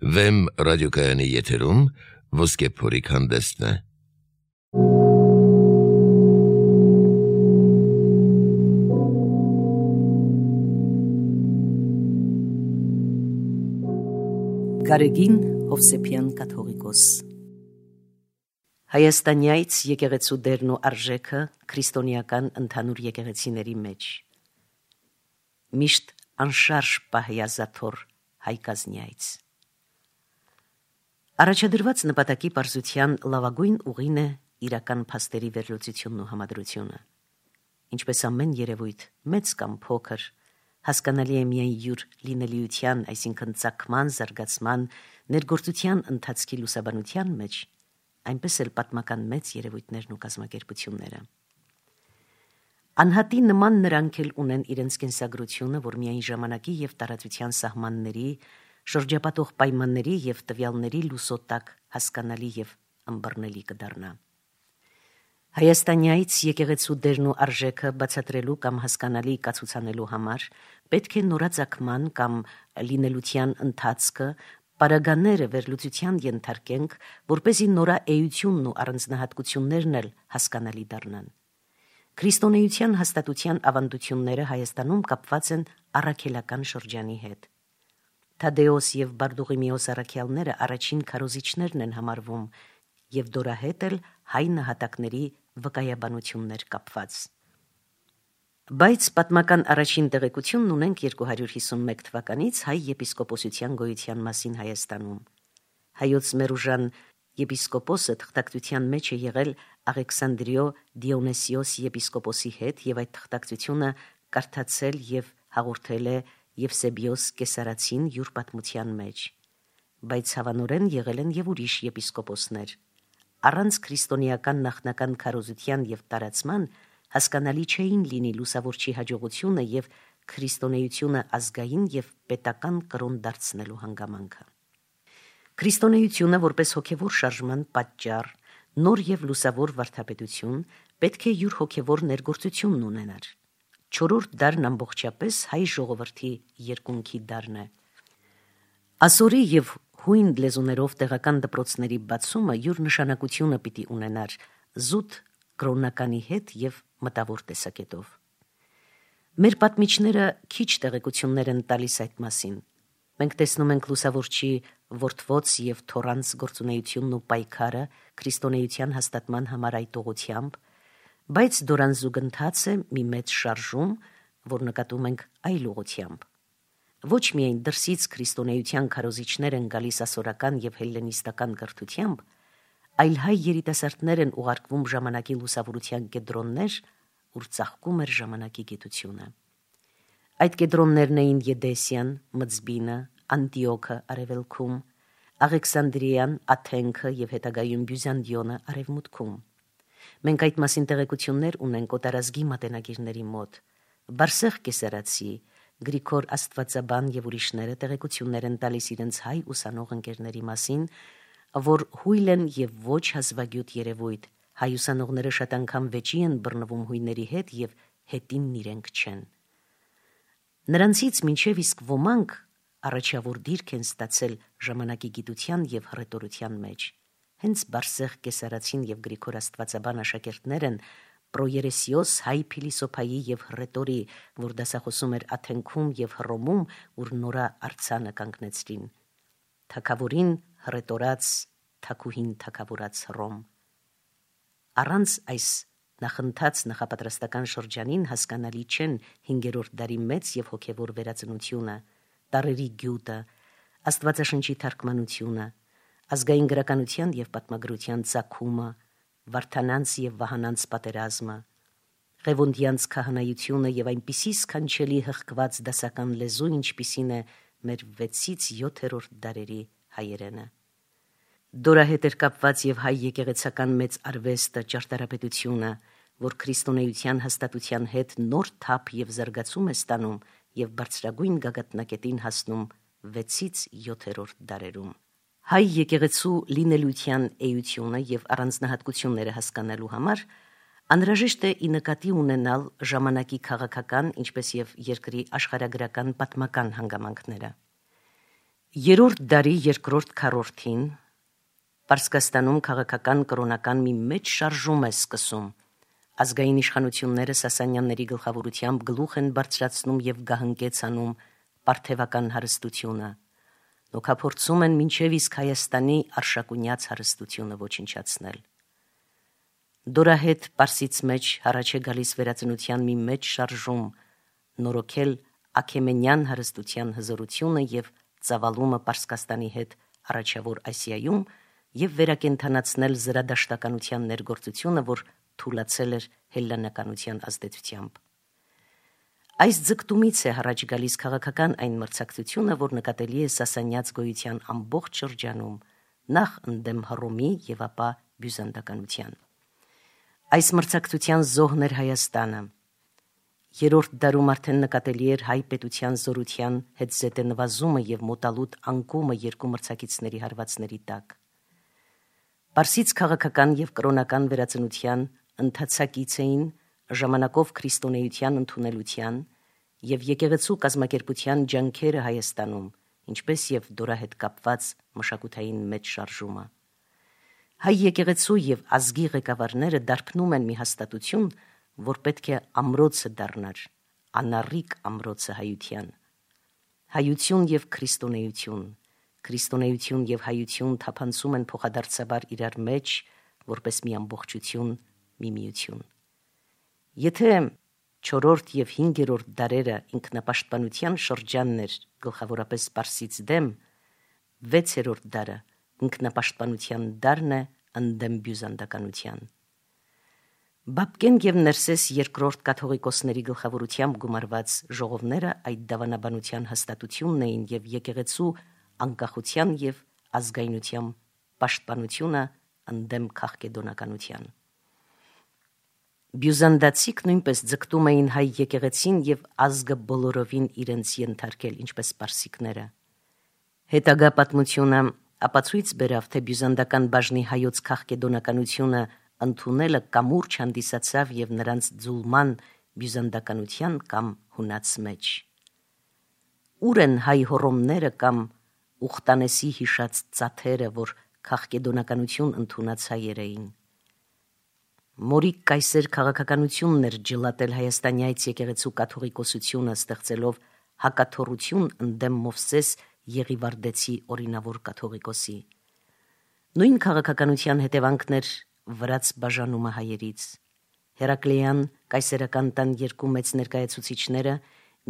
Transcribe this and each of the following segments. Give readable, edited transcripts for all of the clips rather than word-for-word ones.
Վեմ ռադիոկայանի եթերում ոսկե փորիկ հանդեսն է։ Գարեգին Հովսեփյան կաթողիկոս Հայաստանյայց եկեղեցու դերն ու արժեքը քրիստոնեական ընդհանուր եկեղեցիների մեջ միշտ անշարժ պահեազաթոր հայկազնյայց Առաջադրված նպատակի պարզության լավագույն ուղին է իրական փաստերի վերլուծությունն ու համադրությունը ինչպես ամեն երևույթ մեծ կամ փոքր հասկանալի է միայն յուր լինելիության, այսինքն ծագման, զարգացման, ներգործության ընթացքի լուսաբանության մեջ, այնպես էլ պատմական մեծ երևույթներն ու կազմակերպությունները։ Անհատի նման նրանք էլ ունեն իրենց կենսագրությունը, որ միայն ժամանակի և տարածության սահմանների, շրջապատող պայմանների և տվյալների լուսոտակ հասկանալի և ըմբռնելի կդառնա։ Հայաստանյայց եկեղեցու դերն ու արժեքը բացատրելու կամ հասկանալի կացուցանելու համար պետք է նորաձակման կամ լինելության ընթացքը պարագաները վերլուծության ենթարկենք, որպեսզի նորաէությունն ու առանձնահատկություններն էլ հասկանալի դառնան։ Քրիստոնեության հաստատության ավանդությունները Հայաստանում կապված են առաքելական շրջանի հետ։ Թադեոս և Բարդուղիմեոս առաքյալները առաջին քարոզիչներն են համարվում և դորահետ էլ հայ նահատակների վկայաբանություններ կապված։ Բայց պատմական առաջին տեղեկությունն ունենք 251 թվականից հայ եպիսկոպոսության գոյության մասին Հայաստանում։ Հայոց մերուժան եպիսկոպոսը թղթակցության մեջ է եղել Աղեքսանդրիո Դիոնեսիոս եպիսկոպոսի հետ և այդ թղթակցությունը կարդացել և հաղորդել է Եվսեբիոս Կեսարացին յուր պատմության մեջ, բայց հավանորեն եղել են և ուրիշ եպիսկոպոսներ։ Առանց քրիստոնեական նախնական քարոզության և տարածման հասկանալի չէին լինի լուսավորչի հաջողությունը և քրիստոնեությունը ազգային և պետական կրոն դարձնելու հանգամանքը։ Քրիստոնեությունը որպես հոգևոր շարժման պատճառ, նոր և լուսավոր վարդապետություն պետք է յուր հոգևոր ներգործությունն ունենար։ Չորրորդ դարն ամբողջապես հայ ժողովրդի երկունքի դարն է։ Ասորի և հույն լեզուներով տեղական դպրոցների բացումը յուր նշանակությունը պիտի ունենար զուտ կրոննականի հետ և մտավոր տեսակետով։ Մեր պատմիչները քիչ տեղեկություններ են տալիս այդ մասին։ Մենք տեսնում ենք լուսավորչի որդվոց և թոռանց գործունեությունն ու պայքարը քրիստոնեության հաստատման համար այդ ուղղությամբ, բայց դորան զուգընթաց է մի մեծ շարժում, որ նկատում ենք այլ ուղղությամբ։ Ոչ միայն դրսից քրիստոնեության քարոզիչներ են գալիս ասորական և հելլենիստական կրթությամբ, այլ հայ երիտասարդներ են ուղարկվում ժամանակի լուսավորության կեդրոններ, ուր ծաղկում էր ժամանակի գիտությունը։ Այդ կեդրոններն էին Եդեսիան, Մծբինը, Անտիոքը արևելքում, Աղեքսանդրիան, Աթենքը և հետագայում Բյուզանդիոնը արևմուտքում։ Մենք այդ մասին տեղեկություններ ունենք օտարազգի մատենագիրների մոտ։ Բարսեղ Կեսարացի, Գրիգոր Աստվածաբան և ուրիշները տեղեկություններ են տալիս իրենց հայ ուսանող ընկերների մասին, որ հույլ են և ոչ հազվագյուտ երևույթ, հայ ուսանողները շատ անգամ վեճի են բռնվում հույների հետ և հետինն իրենք չեն։ Նրանցից մինչև իսկ ոմանք առաջավոր դիրք են ստացել ժամանակի գիտության և հռետորության մեջ։ Հենց Բարսեղ Կեսարացին և Գրիգոր Աստվածաբան աշակերտներ են Պրոերեսիոս հայ փիլիսոփայի և հռետորի, որ դասախոսում էր Աթենքում և Հռոմում, ուր նորա արձանը կանգնեցրին։ Թագավորին հռետորած, թագուհին թագավորած Հռոմ։ Առանց այս նախընթաց նախապատրաստական շրջանին հասկանալի չեն 5-րդ դարի մեծ և հոգևոր վերածնությունը, տառերի գյուտը, Աստվածաշնչի թարգմանությունը, ազգային գրականության և պատմագրության ծագումը, Վարդանանց և Վահանանց պատերազմը, Ղևոնդյանց քահանայությունը և այնպիսի սքանչելի հղկված դասական լեզու, ինչպիսին է մեր 6-ից 7-րդ դարերի հայերենը։ Դորահետ էր կապված և հայ եկեղեցական մեծ արվեստը, ճարտարապետությունը, որ քրիստոնեության հաստատության հետ նոր թափ և զարգացում է ստանում և բարձրագույն գագաթնակետին հասնում 6-ից 7-րդ դարերում։ Հայ եկեղեցու լինելության էությունը և առանձնահատկությունները հասկանալու համար անհրաժեշտ է ի նկատի ունենալ ժամանակի քաղաքական, ինչպես և երկրի աշխարհագրական պատմական հանգամանքները։ Երրորդ դարի երկրորդ քառորդին Պարսկաստանում քաղաքական կրոնական մի մեծ շարժում է սկսում։ Ազգային իշխանությունները Սասանյանների գլխավորությամբ գլուխ են բարձրացնում եւ գահընկեցանում պարթևական հարստությունը։ Նոքափորձում են մինչև իսկ Հայաստանի արշակունյաց հարստությունը ոչնչացնել։ Դորահետ Պարսից մեջ առաջ է գալիս վերածնության մի մեծ շարժում, նորոգել Աքեմենյան հարստության հզորությունը եւ ծավալումը Պարսկաստանի հետ առաջավոր Ասիայում եւ վերակենդանացնել զրադաշտականության ներգործությունը, որ թուլացել էր հելլենականության ազդեցությամբ։ Այս ձգտումից է առաջ գալիս քաղաքական այն մրցակցությունը, որ նկատելի է Սասանյաց գոյության ամբողջ շրջանում, նախ ընդդեմ Հռոմի եւ ապա բյուզանդականության։ Այս մրցակցության զոհն էր Հայաստանը։ Երրորդ դարում արդեն նկատելի էր հայ պետության զորության հետ զետե նվազումը եւ մոտալուտ անկումը երկու մրցակիցների հարվածների տակ։ Պարսից քաղաքական եւ կրոնական վերածնության ընթացակից էին ժամանակով քրիստոնեության ընդունելության եւ եկեղեցու կազմակերպության ջանքերը Հայաստանում, ինչպես եւ դորահետ կապված մշակութային մեծ շարժումը։ Հայ եկեղեցու եւ ազգի ղեկավարները դարբնում են մի հաստատություն, որ պետք է ամրոցը դառնար, անառիկ ամրոցը հայության։ Հայություն եւ քրիստոնեություն, քրիստոնեություն եւ հայություն թափանցում են փոխադարձաբար իրար մեջ, որպես մի ամբողջություն, մի միություն։ Եթե 4-րդ եւ 5-րդ դարերը ինքնապաշտպանության շրջանն էր գլխավորապես Պարսից դեմ, 6-րդ դարը ինքնապաշտպանության դարն է ընդդեմ բյուզանդականության։ Բաբկեն եւ Ներսես երկրորդ կաթողիկոսների գլխավորությամբ գումարված ժողովները այդ դավանաբանության հաստատությունն էին եւ եկեղեցու անկախության եւ ազգայնության պաշտպանությունը ընդդեմ քաղկեդոնականության։ Բյուզանդացիք նույնպես ձգտում էին հայ եկեղեցին եւ ազգը բոլորովին իրենց ենթարկել, ինչպես պարսիկները։ Հետագա պատմությունը ապացույց բերավ, թե բյուզանդական բաժնի հայոց քաղկեդոնականությունը ընդունելը կամուրջ հանդիսացավ եւ նրանց ձուլման բյուզանդականության կամ հունաց մեջ։ Ուր են հայ հոռոմները կամ Ուխտանեսի հիշած ծաթերը, որ քաղկեդոնականություն ընդունած հայեր էին։ Մորիկ կայսեր քաղաքականությունն էր ջլատել հայաստանյայց եկեղեցու կաթողիկոսությունը, ստեղծելով հակաթոռություն ընդդեմ Մովսես Եղիվարդեցի օրինավոր կաթողիկոսի։ Նույն քաղաքականության հետևանքներ վրաց բաժանումը հայերից։ Հերակլեյան կայսերական տան երկու մեծ ներկայացուցիչները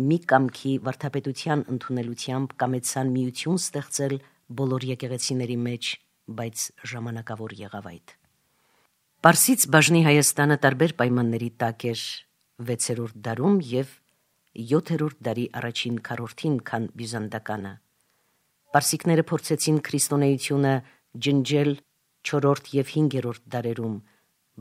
մի կամքի վարդապետության ընդունելությամբ կամեցան միություն ստեղծել բոլոր եկեղեցիների մեջ, բայց ժամանակավոր եղավ այդ։ Պարսից բաժնի Հայաստանը տարբեր պայմանների տակ էր 6-րդ դարում եւ 7-րդ դարի առաջին քառորդին, քան բյուզանդականը։ Պարսիկները փորձեցին քրիստոնեությունը ջնջել 4-րդ եւ 5-րդ դարերում,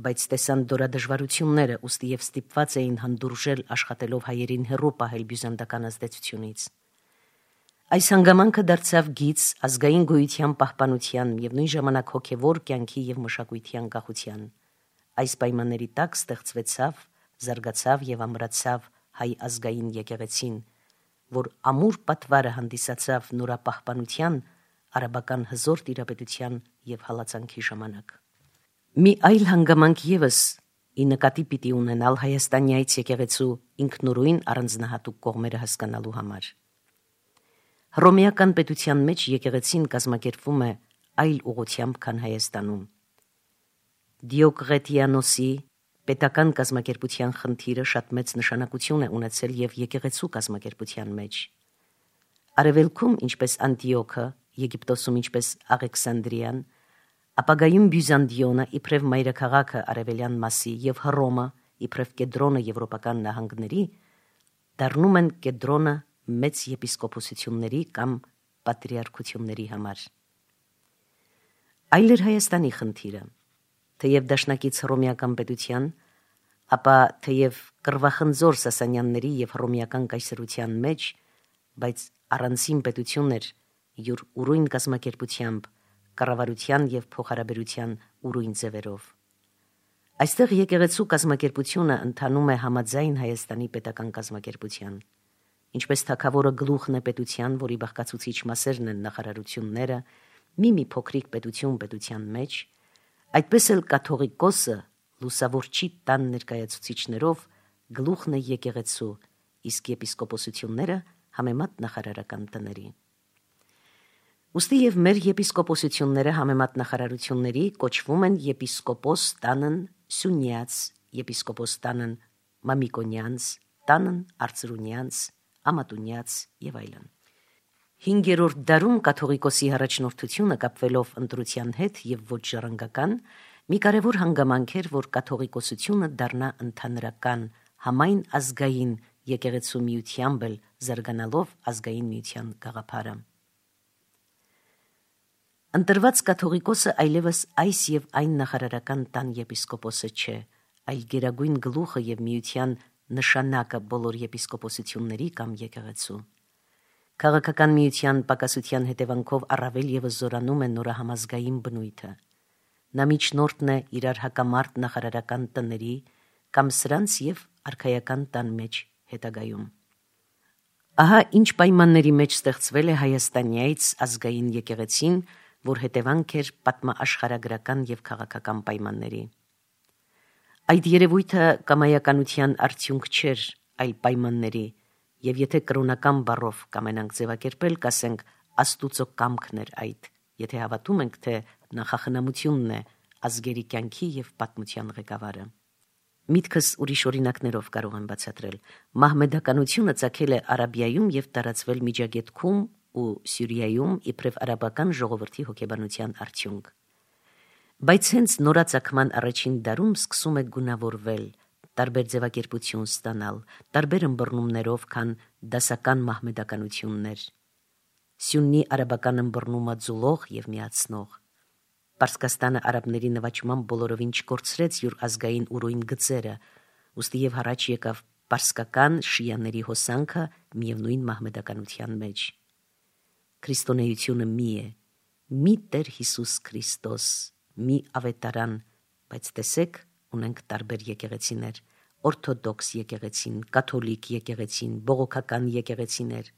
բայց տեսան դժվարությունները, ուստի եւ ստիպված էին հանդուրժել աշխատելով հայերին հեռու պահել բյուզանդական ազդեցությունից։ Այս հանգամանքը դարձավ գիծ ազգային գոյության պահպանության եւ նույն ժամանակ հոգեվոր կյանքի եւ մշակույթի անկախության։ Այս պայմանների տակ ստեղծվեցավ, զարգացավ եւ ամրացավ հայ ազգային եկեղեցին, որ ամուր պատվարը հանդիսացավ նորապահպանության, արաբական հզոր տիրապետության եւ հալածանքի ժամանակ։ Մի այլ հանգամանք եւս ի նկատի պիտի ունենալ հայաստանյայց եկեղեցու ինքնուրույն առանձնահատուկ կողմերը հասկանալու համար։ Հռոմեական պետության մեջ եկեղեցին կազմակերպվում է այլ ուղղությամբ, քան Հայաստանում։ Դիոկլետիանոսի պետական կազմակերպության խնդիրը շատ մեծ նշանակություն է ունեցել եւ եկեղեցու կազմակերպության մեջ։ Արևելքում, ինչպես Անտիոքը, Եգիպտոսում, ինչպես Աղեքսանդրիան, ապագայում Բյուզանդիոնը իբրև մայրաքաղաքը արևելյան մասի եւ Հռոմը իբրև կեդրոնը եվրոպական նահանգների դառնում են կեդրոնը մեծ եպիսկոպոսությունների կամ պատրիարքությունների համար։ Այլ էր Հայաստանի խնդիրը, թեև դաշնակից հռոմեական պետության, ապա թեև կռվախնձոր Սասանյանների եւ հռոմեական կայսրության մեջ, բայց առանցին պետություն էր յուր ուրույն կազմակերպությամբ, կառավարության եւ փոխհարաբերության ուրույն ձևերով։ Այստեղ եկեղեցու կազմակերպությունը ընթանում է համաձայն Հայաստանի պետական կազմակերպության։ ինչպես թագավորը գլուխն է պետության, որի բաղկացուցիչ մասերն են նախարարությունները, մի փոքրիկ պետության մեջ, այդպես էլ կաթողիկոսը լուսավորչի տան ներկայացուցիչներով գլուխն է եկեղեցու, իսկ եպիսկոպոսությունները համեմատ նախարարական տների։ Ուստի եւ մեր եպիսկոպոսությունները համեմատ նախարարությունների կոչվում են եպիսկոպոս տանն Սյունյաց, եպիսկոպոս տանն Մամիկոնյանց, տանն Արծրունյանց, Ամատունյաց եւ այլն։ 5-րդ դարում կաթողիկոսի առաջնորդությունը կապվելով ընտրության հետ եւ ոչ ժառանգական մի կարևոր հանգամանք էր, որ կաթողիկոսությունը դառնա ընդհանրական համայն ազգային եկեղեցու միությամբ էլ զարգանալով ազգային միության գաղափարը։ Ընտրված կաթողիկոսը այլևս այս եւ այն նախարարական տան եպիսկոպոսը չէ, այլ գերագույն գլուխը եւ միության նշանակը բոլոր եպիսկոպոսությունների կամ եկեղեցու։ Քաղաքական միության պակասության հետևանքով առավել եւս զորանում է նորահամազգային բնույթը։ Նա միջնորդն է իրար հակամարտ նախարարական տների կամ սրանց եւ արքայական տան մեջ հետագայում։ Ահա ինչ պայմանների մեջ ստեղծվել է Հայաստանյայից ազգային եկեղեցին, որ հետևանք էր պատմաաշխարհագրական եւ քաղաքական պայմանների։ Այդ երևույթը կամայականության արդյունք չէր, այլ պայմանների, եւ եթե կրոնական բառով կամենանք ձևակերպել, կասենք Աստուծո կամքն էր այդ, եթե հավատում ենք, թե նախախնամությունն է ազգերի կյանքի եւ պատմության ղեկավարը։ Միտքս ուրիշ օրինակներով կարող եմ բացատրել։ Մահմեդականությունը ծագել է Արաբիայում եւ տարածվել Միջագետքում ու Սյուրիայում իբրև արաբական ժողովրդի հոգեբանության արդյունք։ Բայց հենց նորածագման առաջին դարում սկսում է գունավորվել, տարբեր ձևակերպություն ստանալ, տարբեր ըմբռնումներով, քան դասական մահմեդականություններ։ Սյուննի արաբական ըմբռնումը ձուլող եւ միացնող։ Պարսկաստանը արաբների նվաճման բոլորովին չկորցրեց յուր ազգային ուրույն գծերը, ուստի եւ հառաջ եկավ պարսկական շիաների հոսանքը միևնույն մահմեդականության մեջ։ Քրիստոնեությունը մի է, մի Տեր Հիսուս Քրիստոս, մի ավետարան, բայց տեսեք, ունենք տարբեր եկեղեցիներ, օրթոդոքս եկեղեցին, կաթոլիկ եկեղեցին, բողոքական եկեղեցիներ։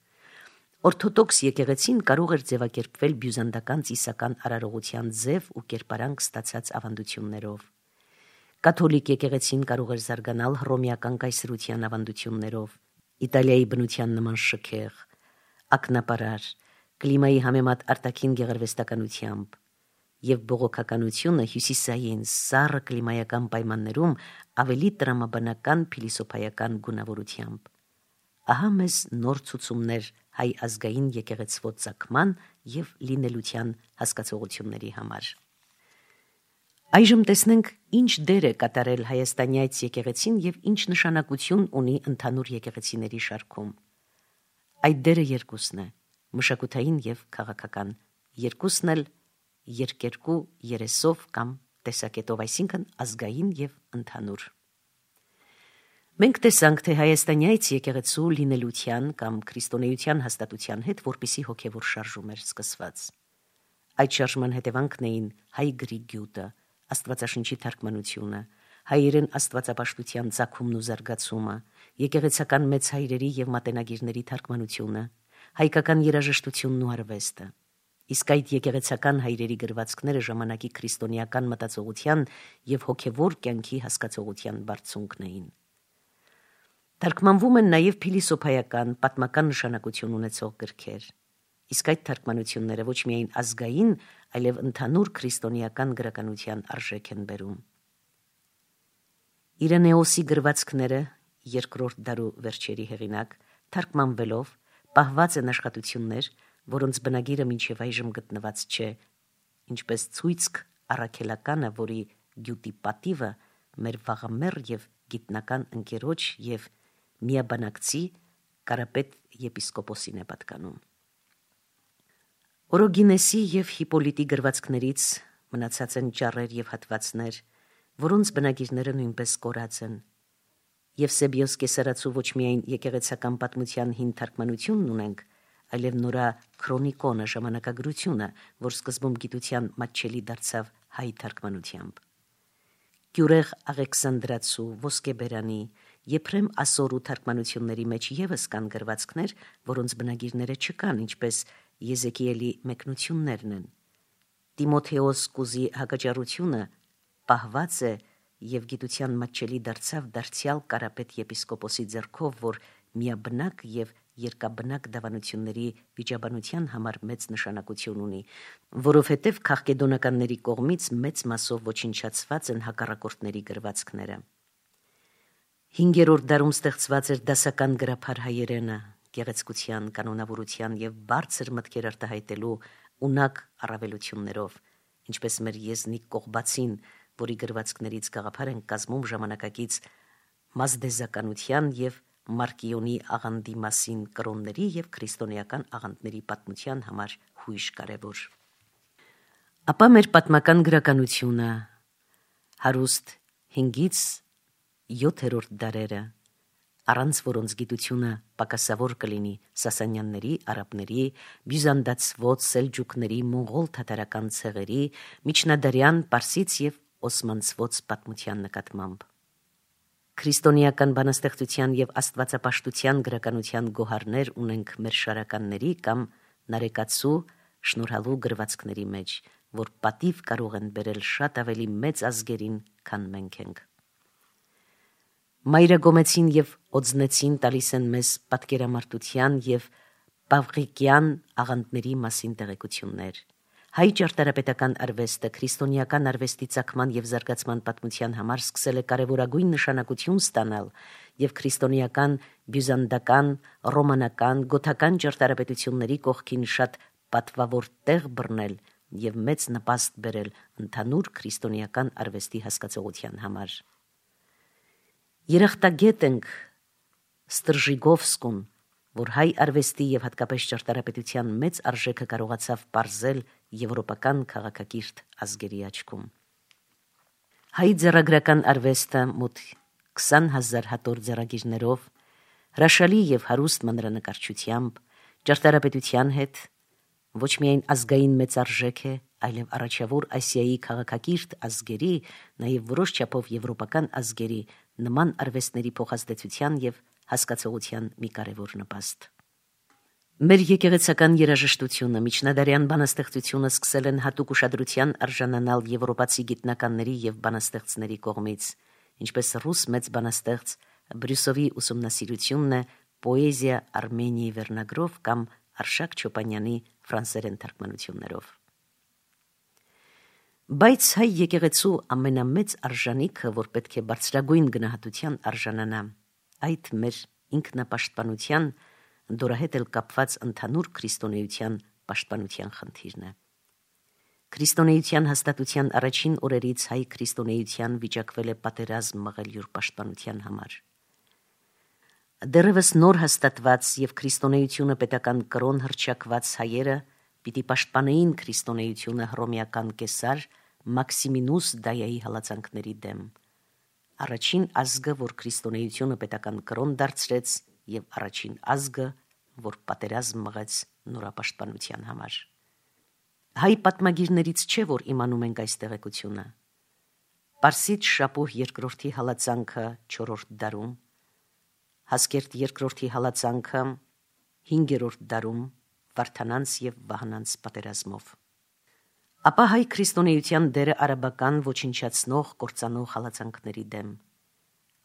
Օրթոդոքս եկեղեցին կարող էր ձևակերպվել բյուզանդական ծիսական արարողության ձև ու կերպարանք ստացած ավանդություններով։ Կաթոլիկ եկեղեցին կարող էր զարգանալ հռոմեական կայսրության ավանդություններով, Իտալիայի բնության նման շքեղ, ակնապարար, կլիմայի համեմատ արտաքին գեղարվեստականությամբ, եւ բողոքականությունը հյուսիսային սառը կլիմայական պայմաններում ավելի տրամաբանական փիլիսոփայական գունավորությամբ։ Ահա մեզ նոր ցուցումներ հայ ազգային եկեղեցվո ծագման եւ լինելության հասկացողությունների համար։ Այժմ տեսնենք ինչ դեր է կատարել հայաստանյայց եկեղեցին եւ ինչ նշանակություն ունի ընդհանուր եկեղեցիների շարքում։ Այդ դերը երկուսն է՝ մշակութային եւ քաղաքական, երկուսն էլ երկերկու երեսով կամ տեսակետով, այսինքն ազգային եւ ընդհանուր։ Մենք տեսանք, թե հայաստանյայց եկեղեցու լինելության կամ քրիստոնեության հաստատության հետ որպիսի հոգևոր շարժում էր սկսված։ Այդ շարժման հետևանքն էին հայ գրի գյուտը, աստվածաշնչի թարգմանությունը, հայերեն աստվածապաշտության ծագումն ու զարգացումը, եկեղեցական մեծ հայրերի եւ մատենագիրների թարգմանությունը, հայկական երաժշտությունն ու արվեստը։ Իսկ այդ եկեղեցական հայրերի գրվածքները ժամանակի քրիստոնեական մտածողության եւ հոգևոր կյանքի հասկացողության բարձունքն էին։ Թարգմանվում են նաև փիլիսոփայական, պատմական նշանակություն ունեցող գրքեր, իսկ այդ թարգմանությունները ոչ միայն ազգային, այլև ընդհանուր քրիստոնեական գրականության արժեք են բերում։ Իրենեոսի գրվածքները, 2-րդ դարու վերջերի հեղինակ, թարգմանվելով պահված են աշխատություններ, որոնց բնագիրը մինչև այժմ գտնված չէ, ինչպես ցույցք առաքելականը, որի գյուտի պատիվը մեր վաղամեռ եւ գիտնական ընկերոջ եւ միաբանակցի Կարապետ եպիսկոպոսին է պատկանում։ Օրոգինեսի եւ Հիպոլիտի գրվածքներից մնացած են ճառեր եւ հատվածներ, որոնց բնագիրները նույնպես կորած են։ Եվսեբիոս Կեսարացու ոչ միայն եկեղեցական պատմության հին թարգմանությունն ունենք, այլև նորա քրոնիկոնը ժամանակագրությունը, որ սկզբում գիտության մատչելի դարձավ հայ թարգմանությամբ։ Գյուրեղ Աղեքսանդրացու, Ոսկեբերանի, Եփրեմ ասորու թարգմանությունների մեջ եւս կան գրվածքներ, որոնց բնագիրները չկան, ինչպես Եզեկիելի մեկնություններն են։ Տիմոթեոս կուզի հակաճառությունը պահված է եւ գիտության մատչելի դարձավ դարձյալ Կարապետ եպիսկոպոսի ձեռքով, որ միաբնակ եւ երկաբնակ դավանությունների վիճաբանության համար մեծ նշանակություն ունի, որովհետեւ քաղկեդոնականների կողմից մեծ մասով ոչնչացված են հակառակորդների գրվածքները։ 5-րդ դարում ստեղծված էր դասական գրափար հայերենը, գեղեցկության, կանոնավորության եւ բարձր մտքեր արտահայտելու ունակ առավելություններով, ինչպես մեր եզնիկ Կողբացին, որի գրվածքներից գաղափար են կազմում ժամանակակից մազդեզականության եւ Մարկիոնի աղանդի մասին կրոնների եւ քրիստոնեական աղանդների պատմության համար հույժ կարևոր։ Ապա մեր պատմական գրականությունը հարուստ 5-ից 7-րդ դարերը, առանց որոնց գիտությունը պակասավոր կլինի Սասանյանների, արաբների, բյուզանդացվոց, սելջուկների, մոնղոլ թաթարական ցեղերի, միջնադարյան, պարսից եւ օսմանցվոց պատմության նկատմամբ։ Քրիստոնեական բանաստեղծության եւ աստվածապաշտության գրականության գոհարներ ունենք մեր շարականների կամ նարեկացու շնորհալու գրվածքների մեջ, որ պատիվ կարող են բերել շատ ավելի մեծ ազգերին, քան մենք ենք։ Մայրագոմեցին եւ օձնեցին տալիս են մեզ պատկերամարտության եւ պավղիկյան աղանդների մասին տեղեկություններ։ Հայ ճարտարապետական արվեստը քրիստոնեական արվեստի ծագման եւ զարգացման պատմության համար սկսել է կարևորագույն նշանակություն ստանալ եւ քրիստոնեական, բյուզանդական, ռոմանական, գոթական ճարտարապետությունների կողքին շատ պատվավոր տեղ բռնել եւ մեծ նպաստ բերել ընդհանուր քրիստոնեական արվեստի հասկացողության համար։ Երախտագետ ենք Ստրժիգովսկուն, որ հայ արվեստի եւ հատկապես ճարտարապետության մեծ արժեքը կարողացավ պարզել եվրոպական քաղաքակիրթ ազգերի աչքում։ Հայ ձեռագրական արվեստը մոտ 20,000 հատոր ձեռագիրներով, հրաշալի եւ հարուստ մանրանկարչությամբ, ճարտարապետության հետ ոչ միայն ազգային մեծ արժեք է, այլև առաջավոր Ասիայի քաղաքակիրթ ազգերի, նաեւ որոշ չափով եվրոպական ազգերի նման արվեստների փոխազդեցության եւ հասկացողության մի կարևոր նպաստ։ Մեր եկեղեցական երաժշտությունը, միջնադարյան բանաստեղծությունը սկսել են հատուկ ուշադրության արժանանալ եվրոպացի գիտնականների եւ բանաստեղծների կողմից, ինչպես ռուս մեծ բանաստեղծ Բրյուսովի ուսումնասիրությունն է պոեզիա Արմենիայի վերնագրով կամ Արշակ Չոպանյանի ֆրանսերեն թարգմանություններով։ Բայց հայ եկեղեցու ամենամեծ արժանիքը, որ պետք է բարձրագույն գնահատության արժանանա, այդ մեր ինքնապաշտպանության, դորահետ էլ կապված ընդհանուր քրիստոնեության պաշտպանության խնդիրն է։ Քրիստոնեության հաստատության առաջին օրերից հայ քրիստոնեության վիճակվել է պատերազմ մղել յուր պաշտպանության համար։ Դեռևս նոր հաստատված եւ քրիստոնեությունը պետական կրոն հռչակված հայերը պիտի պաշտպանեին քրիստոնեությունը հռոմեական կեսար Մաքսիմինուս Դայայի հալածանքների դեմ։ Առաջին ազգը, որ քրիստոնեությունը պետական կրոն դարձրեց, եւ առաջին ազգը, որ պատերազմ մղեց նորապաշտպանության համար։ Հայ պատմագիրներից չէ, որ իմանում ենք այս տեղեկությունը։ Պարսից Շապուհ II հալածանքը 4-րդ դարում, Հասկերտ II հալածանքը 5-րդ դարում Վարդանանց եւ Վահանանց պատերազմով։ Ապա հայ քրիստոնեության դերը արաբական ոչնչացնող, կործանող հալածանքների դեմ։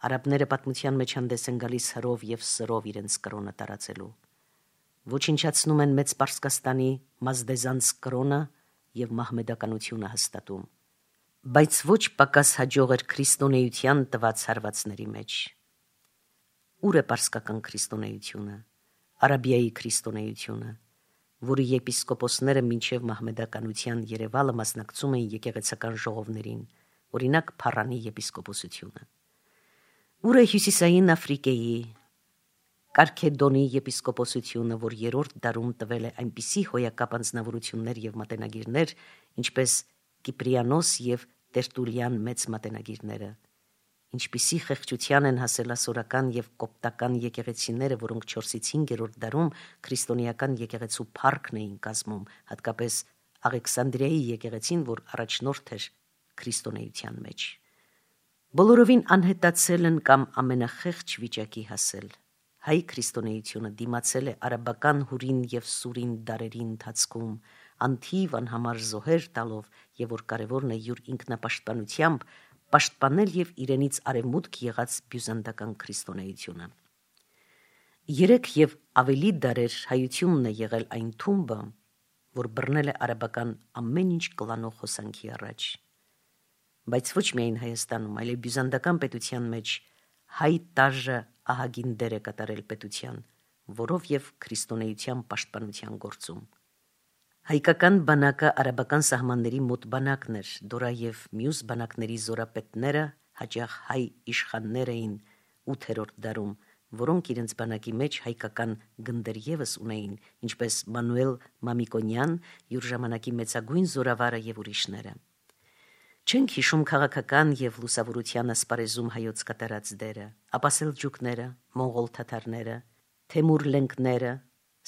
Արաբները պատմության մեջ հանդես են գալիս հրով եւ սրով իրենց կրոնը տարածելու։ Ոչնչացնում են մեծ Պարսկաստանի մազդեզանց կրոնը եւ մահմեդականությունը հաստատում։ Բայց ոչ պակաս հաջող էր քրիստոնեության տված հարվածների մեջ։ Ուր է պարսկական քրիստոնեությունը, Արաբիայի քրիստոնեությունը, որի եպիսկոպոսները մինչև մահմեդականության երևալը մասնակցում էին եկեղեցական ժողովներին, օրինակ Փարանի եպիսկոպոսությունը։ Ուր է հյուսիսային Աֆրիկայի, Կարքեդոնի եպիսկոպոսությունը, որ 3-րդ դարում տվել է այնպիսի հոյակապ անձնավորություններ եւ մատենագիրներ, ինչպես Կիպրիանոս եւ Տերտուլիան մեծ մատենագիրները, ինչպիսի խեղճության են հասել ասորական եւ կոպտական եկեղեցիները, որոնք 4-ից 5-րդ դարում քրիստոնեական եկեղեցու փառքն էին կազմում, հատկապես Աղեքսանդրիայի եկեղեցին, որ առաջնորդ էր քրիստոնեության մեջ։ Բոլորովին անհետացել են կամ ամենախեղճ վիճակի հասել։ Հայ քրիստոնեությունը դիմացել է արաբական հուրին և սուրին դարերի ընթացքում, անթիվ անհամար զոհեր տալով և որ կարևորն է յուր ինքնապաշտպանությամբ պաշտպանել և իրենից արևմուտք եղած բյուզանդական քրիստոնեությունը։ 3 և ավելի դարեր հայությունն է եղել այն թումբը, որ բռնել է արաբական ամեն ինչ կլանող հոսանքի առաջ։ Բայց ոչ միայն Հայաստանում, այլև բյուզանդական պետության մեջ հայ տարրը ահագին դեր է կատարել պետության, որով և քրիստոնեության պաշտպանության գործում։ Հայկական բանակը արաբական սահմանների մոտ բանակն էր, դորա և մյուս բանակների զորապետները հաճախ հայ իշխաններ էին 8-րդ դարում, որոնք իրենց բանակի մեջ հայկական գնդեր ևս ունեին, ինչպես Մանուել Մամիկոնյան, յուր ժամանակի մեծագույն զորավարը և ուրիշները։ Չենք հիշում քաղաքական և լուսավորության ասպարեզում հայոց կատարած դերը, ապա սելջուկները, մոնղոլ թաթարները, թեմուր լենկները,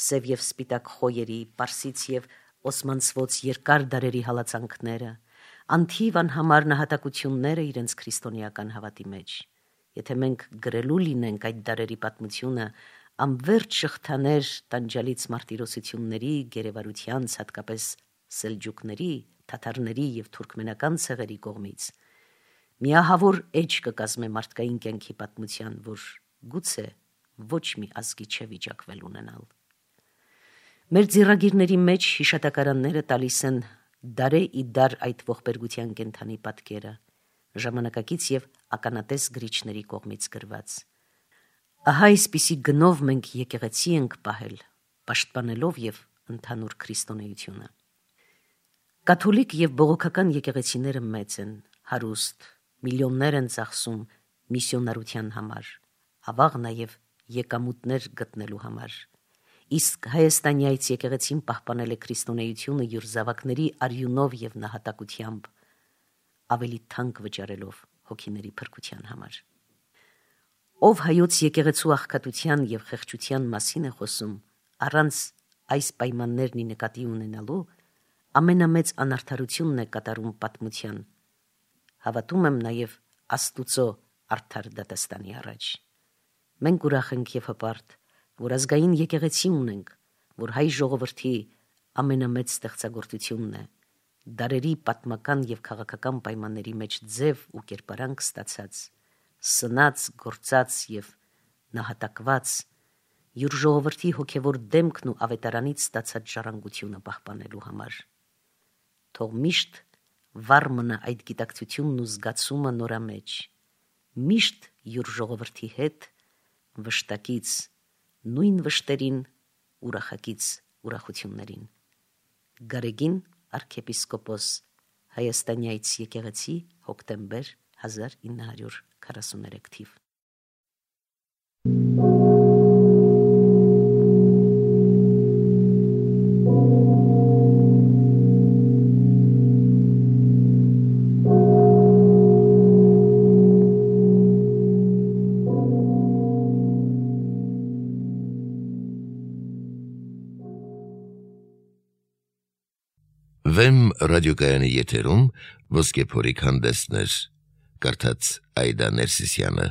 սև և սպիտակ խոյերի, պարսից և օսմանցվոց երկար դարերի հալածանքները, անթիվ անհամար նահատակությունները իրենց քրիստոնեական հավատի մեջ։ Եթե մենք գրելու լինենք այդ դարերի պատմությունը, անվերջ շղթաներ տանջալից մարտիրոսությունների, գերեվարությանց, հատկապես սելջուկների, թաթարների և թուրքմենական ցեղերի կողմից, միահավոր էջ կկազմե մարդկային կյանքի պատմության, որ գուցե ոչ մի ազգի չէ վիճակվել ունենալ։ Մեր ձեռագիրների մեջ հիշատակարանները տալիս են դարե ի դար այդ ողբերգության կենդանի պատկերը, ժամանակակից և ականատես գրիչների կողմից գրված։ Ահա այսպիսի գնով մենք եկեղեցի ենք պահել, պաշտպանելով և ընդհանուր քրիստոնեությունը։ Կաթոլիկ և բողոքական եկեղեցիները մեծ են, հարուստ, միլիոններ են ծախսում միսիոնարության համար, ավաղ նաև եկամուտներ գտնելու համար։ Իսկ հայաստանյաց եկեղեցին պահպանել է քրիստոնեությունը յուր զավակների արյունով և նահատակությամբ, ավելի թանկ վճարելով հոգիների փրկության համար։ Ով հայոց եկեղեցու աղքատության և խեղճության մասին է խոսում, առանց այս պայմաններն ի նկատի ունենալու, ամենամեծ անարդարությունն է կատարում պատմության, հավատում եմ նաև Աստուծո արդար դատաստանի առաջ։ Մենք ուրախ ենք և հպարտ, որ ազգային եկեղեցի ունենք, որ հայ ժողովրդի ամենամեծ ստեղծագործությունն է, դարերի պատմական և քաղաքական պայմանների մեջ ձև ու կերպարանք ստացած, սնած, գործած և նահատակված, յուր ժողովրդի հոգևոր դեմքն ու ավետարանից ստացած ժառանգությունը պահպանելու համար։ Թող միշտ վառ մնա այդ գիտակցությունն ու զգացումը նորամեջ, միշտ յուր ժողովրդի հետ վշտակից, նույն վշտերին, ուրախակից ուրախություններին։ Գարեգին արքեպիսկոպոս, Հայաստանյաց եկեղեցի, հոկտեմբեր 1943 թիվ։ Վեմ ռադիոկայանի եթերում ոսկե փորիկ հանդեսներ, կարդաց Այդա Ներսիսյանը։